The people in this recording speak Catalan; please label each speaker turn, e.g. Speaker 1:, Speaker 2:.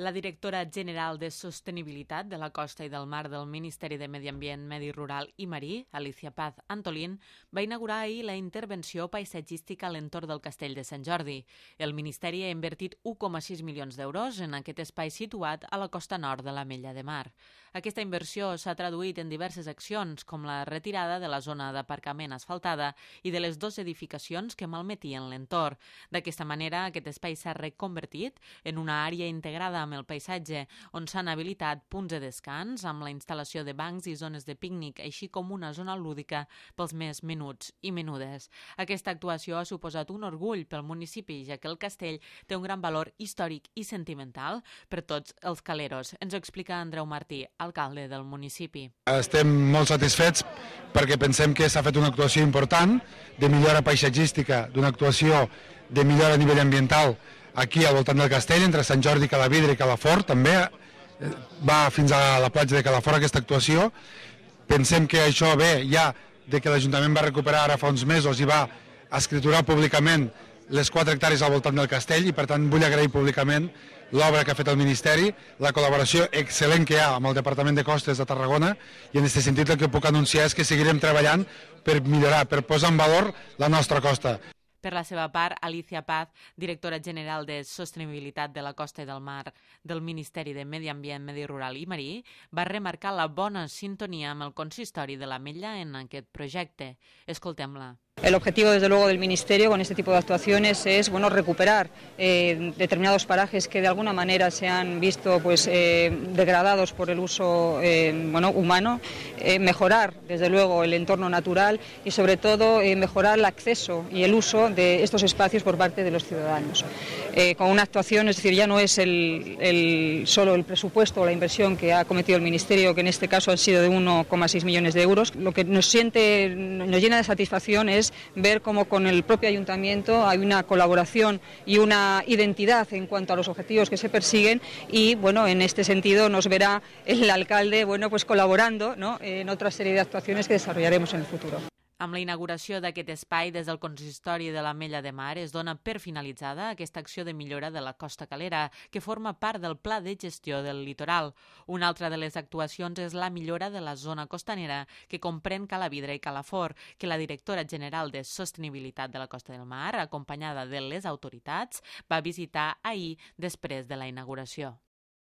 Speaker 1: La directora general de Sostenibilitat de la Costa i del Mar del Ministeri de Medi Ambient, Medi Rural i Marí, Alicia Paz Antolín, va inaugurar ahir la intervenció paisatgística a l'entorn del Castell de Sant Jordi. El Ministeri ha invertit 1,6 milions d'euros en aquest espai situat a la costa nord de l'Ametlla de Mar. Aquesta inversió s'ha traduït en diverses accions, com la retirada de la zona d'aparcament asfaltada i de les dues edificacions que malmetien l'entorn. D'aquesta manera, aquest espai s'ha reconvertit en una àrea integrada amb el paisatge, on s'han habilitat punts de descans amb la instal·lació de bancs i zones de pícnic, així com una zona lúdica pels més menuts i menudes. Aquesta actuació ha suposat un orgull pel municipi, ja que el castell té un gran valor històric i sentimental per tots els caleros. Ens ho explica Andreu Martí, alcalde del municipi.
Speaker 2: Estem molt satisfets perquè pensem que s'ha fet una actuació important de millora paisatgística, d'una actuació de millora a nivell ambiental aquí al voltant del castell, entre Sant Jordi, Calavidra i Calafort. També va fins a la platja de Calafort aquesta actuació. Pensem que això ve ja de que l'Ajuntament va recuperar ara fa uns mesos i va escriturar públicament les 4 hectàrees al voltant del castell i per tant vull agrair públicament l'obra que ha fet el Ministeri, la col·laboració excel·lent que hi ha amb el Departament de Costes de Tarragona, i en aquest sentit el que puc anunciar és que seguirem treballant per millorar, per posar en valor la nostra costa.
Speaker 1: Per la seva part, Alicia Paz, directora general de Sostenibilitat de la Costa i del Mar del Ministeri de Medi Ambient, Medi Rural i Marí, va remarcar la bona sintonia amb el consistori de l'Ametlla en aquest projecte. Escoltem-la.
Speaker 3: El objetivo, desde luego, del Ministerio con este tipo de actuaciones es recuperar determinados parajes que de alguna manera se han visto degradados por el uso humano, mejorar, desde luego, el entorno natural y, sobre todo, mejorar el acceso y el uso de estos espacios por parte de los ciudadanos. Con una actuación, es decir, ya no es solo el presupuesto o la inversión que ha cometido el Ministerio, que en este caso han sido de 1,6 millones de euros. Lo que nos llena de satisfacción es ver cómo con el propio ayuntamiento hay una colaboración y una identidad en cuanto a los objetivos que se persiguen y en este sentido nos verá el alcalde colaborando, ¿no?, en otra serie de actuaciones que desarrollaremos en el futuro.
Speaker 1: Amb la inauguració d'aquest espai des del consistori de l'Ametlla de Mar es dona per finalitzada aquesta acció de millora de la costa calera, que forma part del Pla de Gestió del Litoral. Una altra de les actuacions és la millora de la zona costanera, que comprèn Calavidra i Calafort, que la directora general de Sostenibilitat de la Costa del Mar, acompanyada de les autoritats, va visitar ahir després de la inauguració.